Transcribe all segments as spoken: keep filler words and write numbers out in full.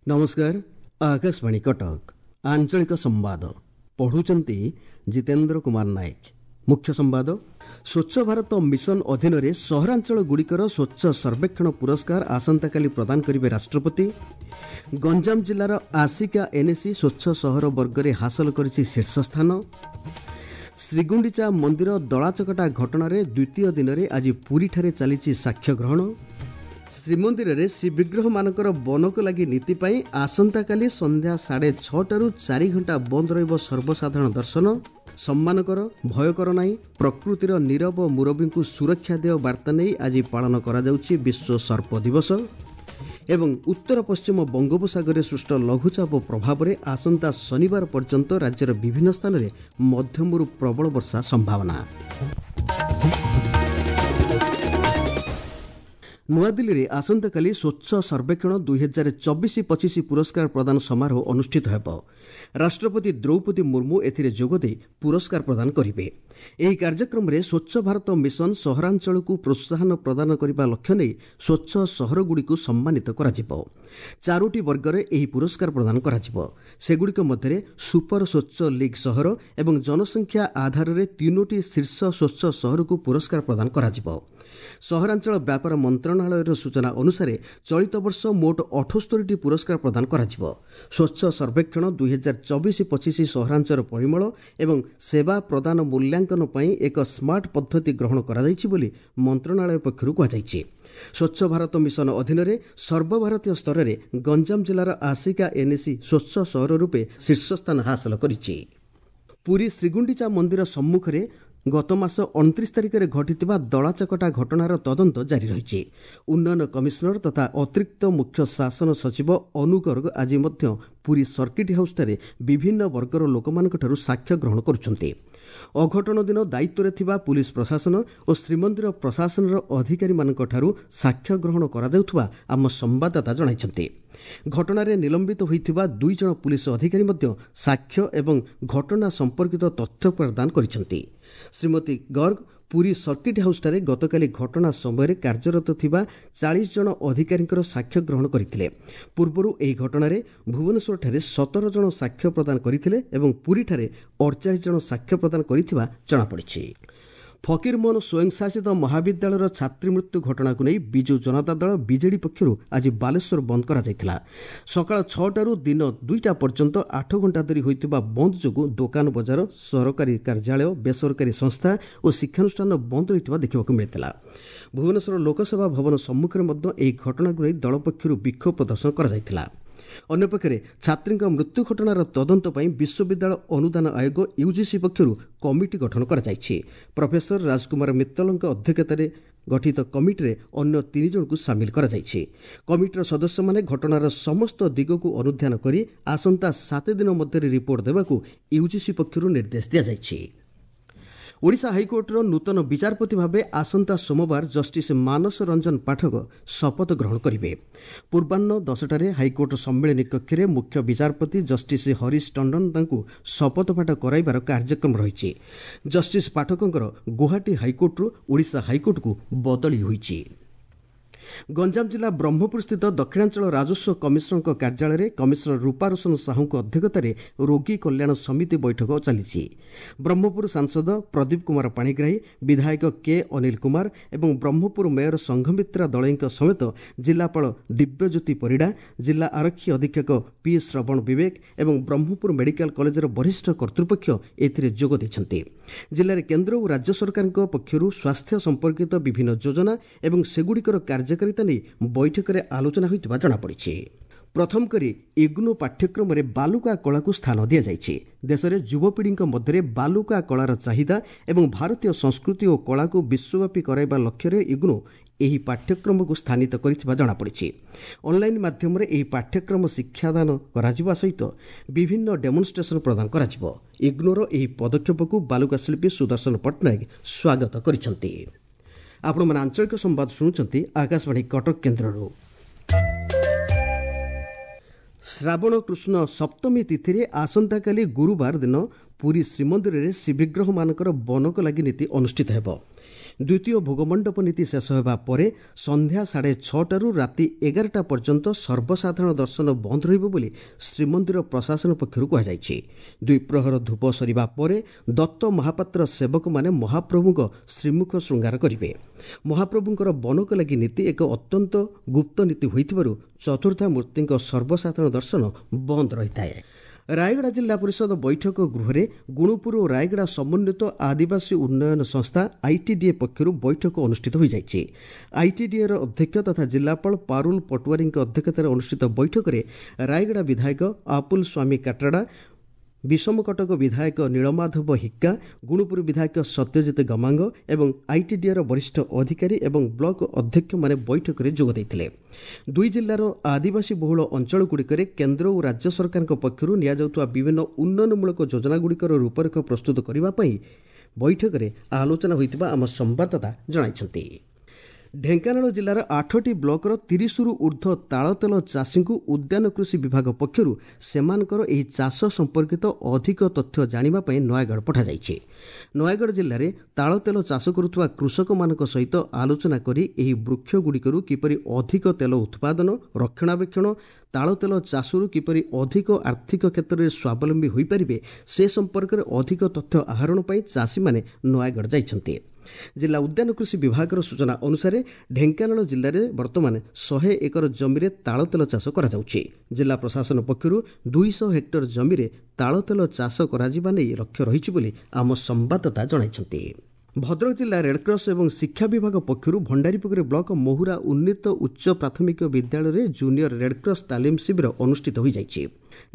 ନମସ୍କାର, ଆକାଶବାଣୀ କଟକ, ଆଞ୍ଚଳିକ ସମ୍ବାଦ ପଢ଼ୁଛନ୍ତି ଜିତେନ୍ଦ୍ର କୁମାର ନାୟକ। ମୁଖ୍ୟ ସମ୍ବାଦ। ସ୍ୱଚ୍ଛ ଭାରତ ମିଶନ ଅଧୀନରେ ସହରାଞ୍ଚଳଗୁଡ଼ିକର ସ୍ୱଚ୍ଛ ସର୍ବେକ୍ଷଣ ପୁରସ୍କାର ଆସନ୍ତାକାଲି ପ୍ରଦାନ କରିବେ ରାଷ୍ଟ୍ରପତି। ଗଞ୍ଜାମ ଜିଲ୍ଲାର ଆସିକା ଏନ୍ଏସି ସ୍ୱଚ୍ଛ ସହର ବର୍ଗରେ ହାସଲ କରିଛି ଶୀର୍ଷ ସ୍ଥାନ। ଶ୍ରୀଗୁଣ୍ଡିଚା ମନ୍ଦିର ଦଳାଚକଟା ଘଟଣାରେ ଦ୍ୱିତୀୟ ଦିନରେ ଆଜି ପୁରୀଠାରେ ଚାଲିଛି ସାକ୍ଷ୍ୟ ଗ୍ରହଣ। ଶ୍ରୀମନ୍ଦିରରେ ଶ୍ରୀବିଗ୍ରହମାନଙ୍କର ବନକ ଲାଗି ନୀତି ପାଇଁ ଆସନ୍ତାକାଲି ସନ୍ଧ୍ୟା ସାଢ଼େ ଛଅଟାରୁ ଚାରି ଘଣ୍ଟା ବନ୍ଦ ରହିବ ସର୍ବସାଧାରଣ ଦର୍ଶନ। ସମ୍ମାନ କର, ଭୟ କର ନାହିଁ, ପ୍ରକୃତିର ନୀରବ ମୁରବୀଙ୍କୁ ସୁରକ୍ଷା ଦେୟ ବାର୍ତ୍ତା ନେଇ ଆଜି ପାଳନ କରାଯାଉଛି ବିଶ୍ୱ ସର୍ପ ଦିବସ। ଏବଂ ଉତ୍ତର ପଶ୍ଚିମ ବଙ୍ଗୋପସାଗରରେ ସୃଷ୍ଟ ଲଘୁଚାପ ପ୍ରଭାବରେ ଆସନ୍ତା ଶନିବାର ପର୍ଯ୍ୟନ୍ତ ରାଜ୍ୟର ବିଭିନ୍ନ ସ୍ଥାନରେ ମଧ୍ୟମରୁ ପ୍ରବଳ ବର୍ଷା ସମ୍ଭାବନା। ନୂଆଦିଲ୍ଲୀରେ ଆସନ୍ତାକାଲି ସ୍ୱଚ୍ଛ ସର୍ବେକ୍ଷଣ ଦୁଇହଜାର ଚବିଶ ପଚିଶ ପୁରସ୍କାର ପ୍ରଦାନ ସମାରୋହ ଅନୁଷ୍ଠିତ ହେବ। ରାଷ୍ଟ୍ରପତି ଦ୍ରୌପଦୀ ମୁର୍ମୁ ଏଥିରେ ଯୋଗଦେଇ ପୁରସ୍କାର ପ୍ରଦାନ କରିବେ। ଏହି କାର୍ଯ୍ୟକ୍ରମରେ ସ୍ୱଚ୍ଛ ଭାରତ ମିଶନ ସହରାଞ୍ଚଳକୁ ପ୍ରୋତ୍ସାହନ ପ୍ରଦାନ କରିବା ଲକ୍ଷ୍ୟ ନେଇ ସ୍ୱଚ୍ଛ ସହରଗୁଡ଼ିକୁ ସମ୍ମାନିତ କରାଯିବ। ଚାରୋଟି ବର୍ଗରେ ଏହି ପୁରସ୍କାର ପ୍ରଦାନ କରାଯିବ। ସେଗୁଡ଼ିକ ମଧ୍ୟରେ ସୁପର ସ୍ୱଚ୍ଛ ଲିଗ୍ ସହର ଏବଂ ଜନସଂଖ୍ୟା ଆଧାରରେ ତିନୋଟି ଶୀର୍ଷ ସ୍ୱଚ୍ଛ ସହରକୁ ପୁରସ୍କାର ପ୍ରଦାନ କରାଯିବ। ସହରାଞ୍ଚଳ ବ୍ୟାପାର ମନ୍ତ୍ରଣାଳୟର ସୂଚନା ଅନୁସାରେ ଚଳିତ ବର୍ଷ ମୋଟ ଅଠସ୍ତରୀଟି ପୁରସ୍କାର ପ୍ରଦାନ କରାଯିବ। ସ୍ୱଚ୍ଛ ସର୍ବେକ୍ଷଣ ଦୁଇହଜାର ଚବିଶ ପଚିଶ ସହରାଞ୍ଚଳ ପରିମଳ ଏବଂ ସେବା ପ୍ରଦାନ ମୂଲ୍ୟାଙ୍କନ ପାଇଁ ଏକ ସ୍ମାର୍ଟ ପଦ୍ଧତି ଗ୍ରହଣ କରାଯାଇଛି ବୋଲି ମନ୍ତ୍ରଣାଳୟ ପକ୍ଷରୁ କୁହାଯାଇଛି। ସ୍ୱଚ୍ଛ ଭାରତ ମିଶନ ଅଧୀନରେ ସର୍ବଭାରତୀୟ ସ୍ତରରେ ଗଞ୍ଜାମ ଜିଲ୍ଲାର ଆସିକା ଏନ୍ଏସି ସ୍ୱଚ୍ଛ ସହର ରୂପେ ଶୀର୍ଷସ୍ଥାନ ହାସଲ କରିଛି। ପୁରୀ ଶ୍ରୀଗୁଣ୍ଡିଚା ମନ୍ଦିର ସମ୍ମୁଖରେ ଗତ ମାସ ଅଣତିରିଶ ତାରିଖରେ ଘଟିଥିବା ଦଳାଚକଟା ଘଟଣାର ତଦନ୍ତ ଜାରି ରହିଛି। ଉନ୍ନୟନ କମିଶନର ତଥା ଅତିରିକ୍ତ ମୁଖ୍ୟ ଶାସନ ସଚିବ ଅନୁ ଗର୍ଗ ଆଜି ମଧ୍ୟ ପୁରୀ ସର୍କିଟ୍ ହାଉସ୍ଠାରେ ବିଭିନ୍ନ ବର୍ଗର ଲୋକମାନଙ୍କଠାରୁ ସାକ୍ଷ୍ୟ ଗ୍ରହଣ କରୁଛନ୍ତି। ଅଘଟଣ ଦିନ ଦାୟିତ୍ୱରେ ଥିବା ପୁଲିସ ପ୍ରଶାସନ ଓ ଶ୍ରୀମନ୍ଦିର ପ୍ରଶାସନର ଅଧିକାରୀମାନଙ୍କଠାରୁ ସାକ୍ଷ୍ୟ ଗ୍ରହଣ କରାଯାଉଥିବା ଆମ ସମ୍ବାଦଦାତା ଜଣାଇଛନ୍ତି। ଘଟଣାରେ ନିଲମ୍ବିତ ହୋଇଥିବା ଦୁଇ ଜଣ ପୁଲିସ ଅଧିକାରୀ ମଧ୍ୟ ସାକ୍ଷ୍ୟ ଏବଂ ଘଟଣା ସମ୍ପର୍କିତ ତଥ୍ୟ ପ୍ରଦାନ କରିଛନ୍ତି। ଶ୍ରୀମତୀ ଗର୍ଗ ପୁରୀ ସର୍କିଟ୍ ହାଉସ୍ଠାରେ ଗତକାଲି ଘଟଣା ସମୟରେ କାର୍ଯ୍ୟରତ ଥିବା ଚାଳିଶ ଜଣ ଅଧିକାରୀଙ୍କର ସାକ୍ଷ୍ୟ ଗ୍ରହଣ କରିଥିଲେ। ପୂର୍ବରୁ ଏହି ଘଟଣାରେ ଭୁବନେଶ୍ୱରଠାରେ ସତର ଜଣ ସାକ୍ଷ୍ୟ ପ୍ରଦାନ କରିଥିଲେ ଏବଂ ପୁରୀଠାରେ ଅଡ଼ଚାଳିଶ ଜଣ ସାକ୍ଷ୍ୟ ପ୍ରଦାନ କରିଥିବା ଜଣାପଡ଼ିଛି। ଫକୀରମୋହନ ସ୍ୱୟଂଶାସିତ ମହାବିଦ୍ୟାଳୟର ଛାତ୍ରୀ ମୃତ୍ୟୁ ଘଟଣାକୁ ନେଇ ବିଜୁ ଜନତା ଦଳ ବିଜେଡି ପକ୍ଷରୁ ଆଜି ବାଲେଶ୍ୱର ବନ୍ଦ କରାଯାଇଥିଲା। ସକାଳ ଛଅଟାରୁ ଦିନ ଦୁଇଟା ପର୍ଯ୍ୟନ୍ତ ଆଠ ଘଣ୍ଟା ଧରି ହୋଇଥିବା ବନ୍ଦ ଯୋଗୁଁ ଦୋକାନ ବଜାର, ସରକାରୀ କାର୍ଯ୍ୟାଳୟ, ବେସରକାରୀ ସଂସ୍ଥା ଓ ଶିକ୍ଷାନୁଷ୍ଠାନ ବନ୍ଦ ରହିଥିବା ଦେଖିବାକୁ ମିଳିଥିଲା। ଭୁବନେଶ୍ୱର ଲୋକସେବା ଭବନ ସମ୍ମୁଖରେ ମଧ୍ୟ ଏହି ଘଟଣାକୁ ନେଇ ଦଳ ପକ୍ଷରୁ ବିକ୍ଷୋଭ ପ୍ରଦର୍ଶନ କରାଯାଇଥିଲା। ଅନ୍ୟପକ୍ଷରେ ଛାତ୍ରୀଙ୍କ ମୃତ୍ୟୁ ଘଟଣାର ତଦନ୍ତ ପାଇଁ ବିଶ୍ୱବିଦ୍ୟାଳୟ ଅନୁଦାନ ଆୟୋଗ ୟୁଜିସି ପକ୍ଷରୁ କମିଟି ଗଠନ କରାଯାଇଛି। ପ୍ରଫେସର ରାଜକୁମାର ମିତ୍ତଲଙ୍କ ଅଧ୍ୟକ୍ଷତାରେ ଗଠିତ କମିଟିରେ ଅନ୍ୟ ତିନି ଜଣଙ୍କୁ ସାମିଲ କରାଯାଇଛି। କମିଟିର ସଦସ୍ୟମାନେ ଘଟଣାର ସମସ୍ତ ଦିଗକୁ ଅନୁଧ୍ୟାନ କରି ଆସନ୍ତା ସାତ ଦିନ ମଧ୍ୟରେ ରିପୋର୍ଟ ଦେବାକୁ ୟୁଜିସି ପକ୍ଷରୁ ନିର୍ଦ୍ଦେଶ ଦିଆଯାଇଛି। ଓଡ଼ିଶା ହାଇକୋର୍ଟର ନୂତନ ବିଚାରପତି ଭାବେ ଆସନ୍ତା ସୋମବାର ଜଷ୍ଟିସ୍ ମାନସ ରଞ୍ଜନ ପାଠକ ଶପଥ ଗ୍ରହଣ କରିବେ। ପୂର୍ବାହ୍ନ ଦଶଟାରେ ହାଇକୋର୍ଟ ସମ୍ମିଳନୀ କକ୍ଷରେ ମୁଖ୍ୟ ବିଚାରପତି ଜଷ୍ଟିସ୍ ହରିଶ ଟଣ୍ଡନ ତାଙ୍କୁ ଶପଥପାଠ କରାଇବାର କାର୍ଯ୍ୟକ୍ରମ ରହିଛି। ଜଷ୍ଟିସ୍ ପାଠକଙ୍କର ଗୁଆହାଟୀ ହାଇକୋର୍ଟରୁ ଓଡ଼ିଶା ହାଇକୋର୍ଟକୁ ବଦଳି ହୋଇଛି। ଗଞ୍ଜାମ ଜିଲ୍ଲା ବ୍ରହ୍ମପୁରସ୍ଥିତ ଦକ୍ଷିଣାଞ୍ଚଳ ରାଜସ୍ୱ କମିଶନରଙ୍କ କାର୍ଯ୍ୟାଳୟରେ କମିଶନର ରୂପା ରୋଶନ ସାହୁଙ୍କ ଅଧ୍ୟକ୍ଷତାରେ ରୋଗୀ କଲ୍ୟାଣ ସମିତି ବୈଠକ ଚାଲିଛି। ବ୍ରହ୍ମପୁର ସାଂସଦ ପ୍ରଦୀପ କୁମାର ପାଣିଗ୍ରାହୀ, ବିଧାୟକ କେ ଅନିଲ କୁମାର ଏବଂ ବ୍ରହ୍ମପୁର ମେୟର ସଂଘମିତ୍ରା ଦଳେଇଙ୍କ ସମେତ ଜିଲ୍ଲାପାଳ ଦିବ୍ୟଜ୍ୟୋତି ପରିଡ଼ା, ଜିଲ୍ଲା ଆରକ୍ଷୀ ଅଧୀକ୍ଷକ ପି ଶ୍ରବଣ ବିବେକ ଏବଂ ବ୍ରହ୍ମପୁର ମେଡିକାଲ କଲେଜର ବରିଷ୍ଠ କର୍ତ୍ତୃପକ୍ଷ ଏଥିରେ ଯୋଗ ଦେଇଛନ୍ତି। ଜିଲ୍ଲାରେ କେନ୍ଦ୍ର ଓ ରାଜ୍ୟ ସରକାରଙ୍କ ପକ୍ଷରୁ ସ୍ୱାସ୍ଥ୍ୟ ସମ୍ପର୍କିତ ବିଭିନ୍ନ ଯୋଜନା ଏବଂ ସେଗୁଡ଼ିକର କାର୍ଯ୍ୟକାରିତା ନେଇ ବୈଠକରେ ଆଲୋଚନା ହୋଇଥିବା ଜଣାପଡ଼ିଛି। ପ୍ରଥମ କରି ଇଗ୍ନୋ ପାଠ୍ୟକ୍ରମରେ ବାଲୁକା କଳାକୁ ସ୍ଥାନ ଦିଆଯାଇଛି। ଦେଶରେ ଯୁବପିଢ଼ିଙ୍କ ମଧ୍ୟରେ ବାଲୁକା କଳାର ଚାହିଦା ଏବଂ ଭାରତୀୟ ସଂସ୍କୃତି ଓ କଳାକୁ ବିଶ୍ୱବ୍ୟାପୀ କରାଇବା ଲକ୍ଷ୍ୟରେ ଇଗ୍ନୋ ଏହି ପାଠ୍ୟକ୍ରମକୁ ସ୍ଥାନିତ କରିଥିବା ଜଣାପଡ଼ିଛି। ଅନ୍ଲାଇନ୍ ମାଧ୍ୟମରେ ଏହି ପାଠ୍ୟକ୍ରମ ଶିକ୍ଷାଦାନ କରାଯିବା ସହିତ ବିଭିନ୍ନ ଡେମନଷ୍ଟ୍ରେସନ୍ ପ୍ରଦାନ କରାଯିବ। ଇଗ୍ନୋର ଏହି ପଦକ୍ଷେପକୁ ବାଲୁକା ଶିଳ୍ପୀ ସୁଦର୍ଶନ ପଟ୍ଟନାୟକ ସ୍ୱାଗତ କରିଛନ୍ତି। ଆପଣମାନେ ଆଞ୍ଚଳିକ ସମ୍ବାଦ ଶୁଣୁଛନ୍ତି ଆକାଶବାଣୀ କଟକ କେନ୍ଦ୍ରରୁ। ଶ୍ରାବଣ କୃଷ୍ଣ ସପ୍ତମୀ ତିଥିରେ ଆସନ୍ତାକାଲି ଗୁରୁବାର ଦିନ ପୁରୀ ଶ୍ରୀମନ୍ଦିରରେ ଶ୍ରୀବିଗ୍ରହମାନଙ୍କର ବନକ ଲାଗି ନୀତି ଅନୁଷ୍ଠିତ ହେବ। ଦ୍ୱିତୀୟ ଭୋଗମଣ୍ଡପ ନୀତି ଶେଷ ହେବା ପରେ ସନ୍ଧ୍ୟା ସାଢ଼େ ଛଅଟାରୁ ରାତି ଏଗାରଟା ପର୍ଯ୍ୟନ୍ତ ସର୍ବସାଧାରଣ ଦର୍ଶନ ବନ୍ଦ ରହିବ ବୋଲି ଶ୍ରୀମନ୍ଦିର ପ୍ରଶାସନ ପକ୍ଷରୁ କୁହାଯାଇଛି। ଦ୍ୱିପ୍ରହର ଧୂପ ସରିବା ପରେ ଦତ୍ତ ମହାପାତ୍ର ସେବକମାନେ ମହାପ୍ରଭୁଙ୍କ ଶ୍ରୀମୁଖ ଶୃଙ୍ଗାର କରିବେ। ମହାପ୍ରଭୁଙ୍କର ବନକ ଲାଗି ନୀତି ଏକ ଅତ୍ୟନ୍ତ ଗୁପ୍ତ ନୀତି ହୋଇଥିବାରୁ ଚତୁର୍ଦ୍ଧା ମୂର୍ତ୍ତିଙ୍କ ସର୍ବସାଧାରଣ ଦର୍ଶନ ବନ୍ଦ ରହିଥାଏ। ରାୟଗଡ଼ା ଜିଲ୍ଲା ପରିଷଦ ବୈଠକ ଗୃହରେ ଗୁଣୁପୁର ଓ ରାୟଗଡ଼ା ସମନ୍ୱିତ ଆଦିବାସୀ ଉନ୍ନୟନ ସଂସ୍ଥା ଆଇଟିଡିଏ ପକ୍ଷରୁ ବୈଠକ ଅନୁଷ୍ଠିତ ହୋଇଯାଇଛି। ଆଇଟିଡିଏର ଅଧ୍ୟକ୍ଷ ତଥା ଜିଲ୍ଲାପାଳ ପାରୁଲ ପଟୁଆରୀଙ୍କ ଅଧ୍ୟକ୍ଷତାରେ ଅନୁଷ୍ଠିତ ବୈଠକରେ ରାୟଗଡ଼ା ବିଧାୟକ ଆପୁଲ ସ୍ୱାମୀ କାଟ୍ରାଡ଼ା, ବିଷମକଟକ ବିଧାୟକ ନୀଳମାଧବ ହିକ୍କା, ଗୁଣୁପୁର ବିଧାୟକ ସତ୍ୟଜିତ ଗମାଙ୍ଗ ଏବଂ ଆଇଟିଡିଏର ବରିଷ୍ଠ ଅଧିକାରୀ ଏବଂ ବ୍ଲକ ଅଧ୍ୟକ୍ଷମାନେ ବୈଠକରେ ଯୋଗ ଦେଇଥିଲେ। ଦୁଇ ଜିଲ୍ଲାର ଆଦିବାସୀ ବହୁଳ ଅଞ୍ଚଳଗୁଡ଼ିକରେ କେନ୍ଦ୍ର ଓ ରାଜ୍ୟ ସରକାରଙ୍କ ପକ୍ଷରୁ ନିଆଯାଉଥିବା ବିଭିନ୍ନ ଉନ୍ନୟନମୂଳକ ଯୋଜନାଗୁଡ଼ିକର ରୂପରେଖ ପ୍ରସ୍ତୁତ କରିବା ପାଇଁ ବୈଠକରେ ଆଲୋଚନା ହୋଇଥିବା ଆମ ସମ୍ବାଦଦାତା ଜଣାଇଛନ୍ତି। ଢେଙ୍କାନାଳ ଜିଲ୍ଲାର ଆଠଟି ବ୍ଲକର ତିରିଶରୁ ଉର୍ଦ୍ଧ୍ୱ ତାଳତେଲ ଚାଷୀଙ୍କୁ ଉଦ୍ୟାନ କୃଷି ବିଭାଗ ପକ୍ଷରୁ ସେମାନଙ୍କର ଏହି ଚାଷ ସମ୍ପର୍କିତ ଅଧିକ ତଥ୍ୟ ଜାଣିବା ପାଇଁ ନୟାଗଡ଼ ପଠାଯାଇଛି। ନୟାଗଡ଼ ଜିଲ୍ଲାରେ ତାଳତେଲ ଚାଷ କରୁଥିବା କୃଷକମାନଙ୍କ ସହିତ ଆଲୋଚନା କରି ଏହି ବୃକ୍ଷଗୁଡ଼ିକରୁ କିପରି ଅଧିକ ତେଲ ଉତ୍ପାଦନ, ରକ୍ଷଣାବେକ୍ଷଣ, ତାଳତେଲ ଚାଷରୁ କିପରି ଅଧିକ ଆର୍ଥିକ କ୍ଷେତ୍ରରେ ସ୍ୱାବଲମ୍ବୀ ହୋଇପାରିବେ ସେ ସମ୍ପର୍କରେ ଅଧିକ ତଥ୍ୟ ଆହରଣ ପାଇଁ ଚାଷୀମାନେ ନୟାଗଡ଼ ଯାଇଛନ୍ତି। ଜିଲ୍ଲା ଉଦ୍ୟାନ କୃଷି ବିଭାଗର ସୂଚନା ଅନୁସାରେ ଢେଙ୍କାନାଳ ଜିଲ୍ଲାରେ ବର୍ତ୍ତମାନ ଶହେ ଏକର ଜମିରେ ତାଳତେଲ ଚାଷ କରାଯାଉଛି। ଜିଲ୍ଲା ପ୍ରଶାସନ ପକ୍ଷରୁ ଦୁଇଶହ ହେକ୍ଟର ଜମିରେ ତାଳତେଲ ଚାଷ କରାଯିବା ନେଇ ଲକ୍ଷ୍ୟ ରହିଛି ବୋଲି ଆମ ସମ୍ବାଦଦାତା ଜଣାଇଛନ୍ତି। ଭଦ୍ରକ ଜିଲ୍ଲା ରେଡ୍କ୍ରସ୍ ଏବଂ ଶିକ୍ଷା ବିଭାଗ ପକ୍ଷରୁ ଭଣ୍ଡାରୀପୋଖରୀ ବ୍ଲକ ମହୁରା ଉନ୍ନୀତ ଉଚ୍ଚ ପ୍ରାଥମିକ ବିଦ୍ୟାଳୟରେ ଜୁନିୟର ରେଡ୍କ୍ରସ୍ ତାଲିମ ଶିବିର ଅନୁଷ୍ଠିତ ହୋଇଯାଇଛି।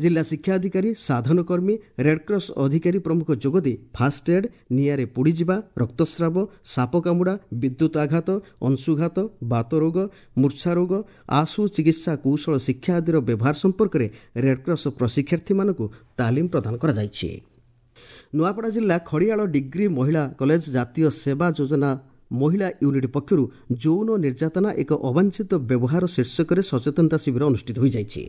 ଜିଲ୍ଲା ଶିକ୍ଷା ଅଧିକାରୀ, ସାଧନ କର୍ମୀ, ରେଡ୍କ୍ରସ୍ ଅଧିକାରୀ ପ୍ରମୁଖ ଯୋଗଦେଇ ଫାଷ୍ଟ ଏଡ୍, ନିଆଁରେ ପୋଡ଼ିଯିବା, ରକ୍ତସ୍ରାବ, ସାପ କାମୁଡ଼ା, ବିଦ୍ୟୁତ ଆଘାତ, ଅଂଶୁଘାତ, ବାତରୋଗ, ମୂର୍ଚ୍ଛା ରୋଗ, ଆଶୁ ଚିକିତ୍ସା କୌଶଳ ଶିକ୍ଷା ଆଦିର ବ୍ୟବହାର ସମ୍ପର୍କରେ ରେଡ୍କ୍ରସ୍ ପ୍ରଶିକ୍ଷାର୍ଥୀମାନଙ୍କୁ ତାଲିମ ପ୍ରଦାନ କରାଯାଇଛି। ନୂଆପଡ଼ା ଜିଲ୍ଲା ଖଡ଼ିଆଳ ଡିଗ୍ରୀ ମହିଳା କଲେଜ ଜାତୀୟ ସେବା ଯୋଜନା ମହିଳା ୟୁନିଟ୍ ପକ୍ଷରୁ ଯୌନ ନିର୍ଯାତନା ଏକ ଅବାଞ୍ଛିତ ବ୍ୟବହାର ଶୀର୍ଷକରେ ସଚେତନତା ଶିବିର ଅନୁଷ୍ଠିତ ହୋଇଯାଇଛି।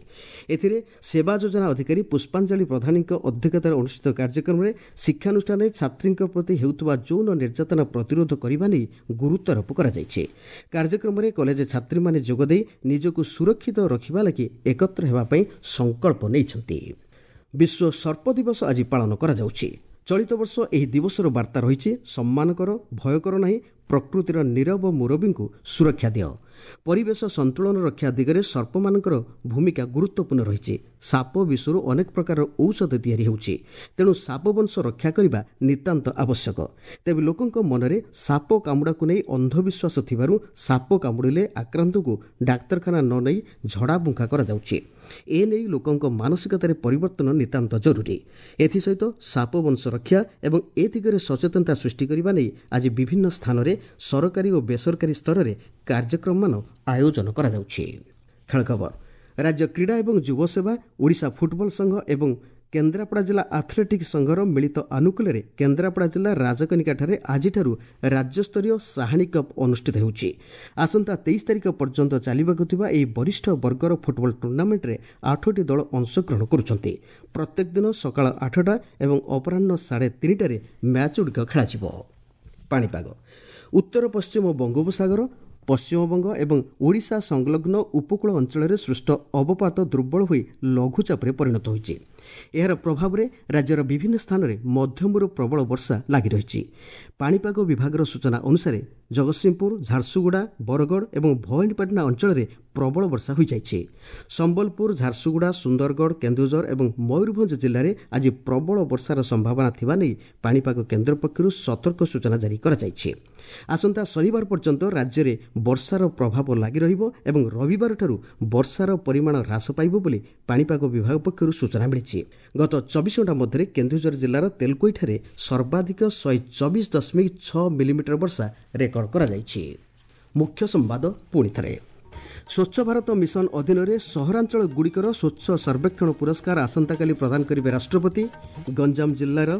ଏଥିରେ ସେବା ଯୋଜନା ଅଧିକାରୀ ପୁଷ୍ପାଞ୍ଜଳି ପ୍ରଧାନୀଙ୍କ ଅଧ୍ୟକ୍ଷତାରେ ଅନୁଷ୍ଠିତ କାର୍ଯ୍ୟକ୍ରମରେ ଶିକ୍ଷାନୁଷ୍ଠାନରେ ଛାତ୍ରୀଙ୍କ ପ୍ରତି ହେଉଥିବା ଯୌନ ନିର୍ଯାତନା ପ୍ରତିରୋଧ କରିବା ନେଇ ଗୁରୁତ୍ୱାରୋପ କରାଯାଇଛି। କାର୍ଯ୍ୟକ୍ରମରେ କଲେଜ ଛାତ୍ରୀମାନେ ଯୋଗଦେଇ ନିଜକୁ ସୁରକ୍ଷିତ ରଖିବା ଲାଗି ଏକତ୍ର ହେବା ପାଇଁ ସଂକଳ୍ପ ନେଇଛନ୍ତି। ବିଶ୍ୱ ସର୍ପ ଦିବସ ଆଜି ପାଳନ କରାଯାଉଛି। ଚଳିତ ବର୍ଷ ଏହି ଦିବସର ବାର୍ତ୍ତା ରହିଛି ସମ୍ମାନ କର, ଭୟ କର ନାହିଁ, ପ୍ରକୃତିର ନୀରବ ମୁରବୀଙ୍କୁ ସୁରକ୍ଷା ଦିଅ। ପରିବେଶ ସନ୍ତୁଳନ ରକ୍ଷା ଦିଗରେ ସର୍ପମାନଙ୍କର ଭୂମିକା ଗୁରୁତ୍ୱପୂର୍ଣ୍ଣ ରହିଛି। ସାପ ବିଷରୁ ଅନେକ ପ୍ରକାରର ଔଷଧ ତିଆରି ହେଉଛି, ତେଣୁ ସାପ ବଂଶ ରକ୍ଷା କରିବା ନିତାନ୍ତ ଆବଶ୍ୟକ। ତେବେ ଲୋକଙ୍କ ମନରେ ସାପ କାମୁଡ଼ାକୁ ନେଇ ଅନ୍ଧବିଶ୍ୱାସ ଥିବାରୁ ସାପ କାମୁଡ଼ିଲେ ଆକ୍ରାନ୍ତଙ୍କୁ ଡାକ୍ତରଖାନା ନ ନେଇ ଝଡ଼ାଫୁଙ୍କା କରାଯାଉଛି। ଏ ନେଇ ଲୋକଙ୍କ ମାନସିକତାରେ ପରିବର୍ତ୍ତନ ନିତାନ୍ତ ଜରୁରୀ। ଏଥିସହିତ ସାପ ବଂଶ ରକ୍ଷା ଏବଂ ଏ ଦିଗରେ ସଚେତନତା ସୃଷ୍ଟି କରିବା ନେଇ ଆଜି ବିଭିନ୍ନ ସ୍ଥାନରେ ସରକାରୀ ଓ ବେସରକାରୀ ସ୍ତରରେ କାର୍ଯ୍ୟକ୍ରମମାନ ଆୟୋଜନ କରାଯାଉଛି। ଖେଳ ଖବର। ରାଜ୍ୟ କ୍ରୀଡ଼ା ଏବଂ ଯୁବସେବା, ଓଡ଼ିଶା ଫୁଟବଲ ସଂଘ ଏବଂ କେନ୍ଦ୍ରାପଡ଼ା ଜିଲ୍ଲା ଆଥଲେଟିକ୍ ସଂଘର ମିଳିତ ଆନୁକୂଲ୍ୟରେ କେନ୍ଦ୍ରାପଡ଼ା ଜିଲ୍ଲା ରାଜକନିକାଠାରେ ଆଜିଠାରୁ ରାଜ୍ୟସ୍ତରୀୟ ସାହାଣୀ କପ୍ ଅନୁଷ୍ଠିତ ହେଉଛି। ଆସନ୍ତା ତେଇଶ ତାରିଖ ପର୍ଯ୍ୟନ୍ତ ଚାଲିବାକୁ ଥିବା ଏହି ବରିଷ୍ଠ ବର୍ଗର ଫୁଟବଲ ଟୁର୍ଣ୍ଣାମେଣ୍ଟରେ ଆଠଟି ଦଳ ଅଂଶଗ୍ରହଣ କରୁଛନ୍ତି। ପ୍ରତ୍ୟେକ ଦିନ ସକାଳ ଆଠଟା ଏବଂ ଅପରାହ୍ନ ସାଢ଼େ ତିନିଟାରେ ମ୍ୟାଚ୍ଗୁଡ଼ିକ ଖେଳାଯିବ। ପାଣିପାଗ। ଉତ୍ତର ପଶ୍ଚିମ ବଙ୍ଗୋପସାଗର, ପଶ୍ଚିମବଙ୍ଗ ଏବଂ ଓଡ଼ିଶା ସଂଲଗ୍ନ ଉପକୂଳ ଅଞ୍ଚଳରେ ସୃଷ୍ଟ ଅବପାତ ଦୁର୍ବଳ ହୋଇ ଲଘୁଚାପରେ ପରିଣତ ହୋଇଛି। ଏହାର ପ୍ରଭାବରେ ରାଜ୍ୟର ବିଭିନ୍ନ ସ୍ଥାନରେ ମଧ୍ୟମରୁ ପ୍ରବଳ ବର୍ଷା ଲାଗି ରହିଛି। ପାଣିପାଗ ବିଭାଗର ସୂଚନା ଅନୁସାରେ ଜଗତସିଂହପୁର, ଝାରସୁଗୁଡ଼ା, ବରଗଡ଼ ଏବଂ ଭବାନୀପାଟଣା ଅଞ୍ଚଳରେ ପ୍ରବଳ ବର୍ଷା ହୋଇଯାଇଛି। ସମ୍ବଲପୁର, ଝାରସୁଗୁଡ଼ା, ସୁନ୍ଦରଗଡ଼, କେନ୍ଦୁଝର ଏବଂ ମୟୂରଭଞ୍ଜ ଜିଲ୍ଲାରେ ଆଜି ପ୍ରବଳ ବର୍ଷାର ସମ୍ଭାବନା ଥିବା ନେଇ ପାଣିପାଗ କେନ୍ଦ୍ର ପକ୍ଷରୁ ସତର୍କ ସୂଚନା ଜାରି କରାଯାଇଛି। ଆସନ୍ତା ଶନିବାର ପର୍ଯ୍ୟନ୍ତ ରାଜ୍ୟରେ ବର୍ଷାର ପ୍ରଭାବ ଲାଗି ରହିବ ଏବଂ ରବିବାରଠାରୁ ବର୍ଷାର ପରିମାଣ ହ୍ରାସ ପାଇବ ବୋଲି ପାଣିପାଗ ବିଭାଗ ପକ୍ଷରୁ ସୂଚନା ମିଳିଛି। ଗତ ଚବିଶ ଘଣ୍ଟା ମଧ୍ୟରେ କେନ୍ଦୁଝର ଜିଲ୍ଲାର ତେଲକୋଇଠାରେ ସର୍ବାଧିକ ଶହେ ଚବିଶ ଦଶମିକ ଛଅ ମିଲିମିଟର ବର୍ଷା ରେକର୍ଡ କରାଯାଇଛି। ମୁଖ୍ୟ ସମ୍ବାଦ ପୁଣି ଥରେ। ସ୍ୱଚ୍ଛ ଭାରତ ମିଶନ ଅଧୀନରେ ସହରାଞ୍ଚଳଗୁଡ଼ିକର ସ୍ୱଚ୍ଛ ସର୍ବେକ୍ଷଣ ପୁରସ୍କାର ଆସନ୍ତାକାଲି ପ୍ରଦାନ କରିବେ ରାଷ୍ଟ୍ରପତି। ଗଞ୍ଜାମ ଜିଲ୍ଲାର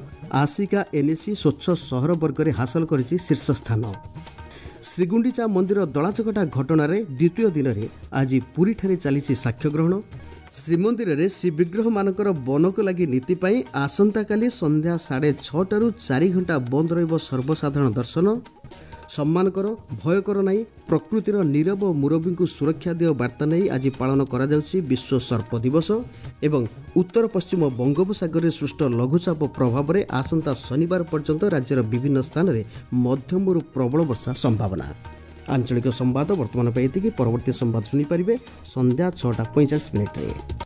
ଆସିକା ଏନ୍ଏସି ସ୍ୱଚ୍ଛ ସହର ବର୍ଗରେ ହାସଲ କରିଛି ଶୀର୍ଷ ସ୍ଥାନ। ଶ୍ରୀଗୁଣ୍ଡିଚା ମନ୍ଦିର ଦଳାଚକଟା ଘଟଣାରେ ଦ୍ୱିତୀୟ ଦିନରେ ଆଜି ପୁରୀଠାରେ ଚାଲିଛି ସାକ୍ଷ୍ୟଗ୍ରହଣ। ଶ୍ରୀମନ୍ଦିରରେ ଶ୍ରୀବିଗ୍ରହମାନଙ୍କର ବନକ ଲାଗି ନୀତି ପାଇଁ ଆସନ୍ତାକାଲି ସନ୍ଧ୍ୟା ସାଢ଼େ ଛଅଟାରୁ ଚାରି ଘଣ୍ଟା ବନ୍ଦ ରହିବ ସର୍ବସାଧାରଣ ଦର୍ଶନ। ସମ୍ମାନ କର, ଭୟ କର ନାହିଁ, ପ୍ରକୃତିର ନୀରବ ମୁରବୀଙ୍କୁ ସୁରକ୍ଷା ଦିଅ ବାର୍ତ୍ତା ନେଇ ଆଜି ପାଳନ କରାଯାଉଛି ବିଶ୍ୱ ସର୍ପ ଦିବସ। ଏବଂ ଉତ୍ତର ପଶ୍ଚିମ ବଙ୍ଗୋପସାଗରରେ ସୃଷ୍ଟ ଲଘୁଚାପ ପ୍ରଭାବରେ ଆସନ୍ତା ଶନିବାର ପର୍ଯ୍ୟନ୍ତ ରାଜ୍ୟର ବିଭିନ୍ନ ସ୍ଥାନରେ ମଧ୍ୟମରୁ ପ୍ରବଳ ବର୍ଷା ସମ୍ଭାବନା। ଆଞ୍ଚଳିକ ସମ୍ବାଦ ବର୍ତ୍ତମାନ ପାଇଁ ଏତିକି। ପରବର୍ତ୍ତୀ ସମ୍ବାଦ ଶୁଣିପାରିବେ ସନ୍ଧ୍ୟା ଛଅଟା ପଇଁଚାଳିଶ ମିନିଟ୍ରେ।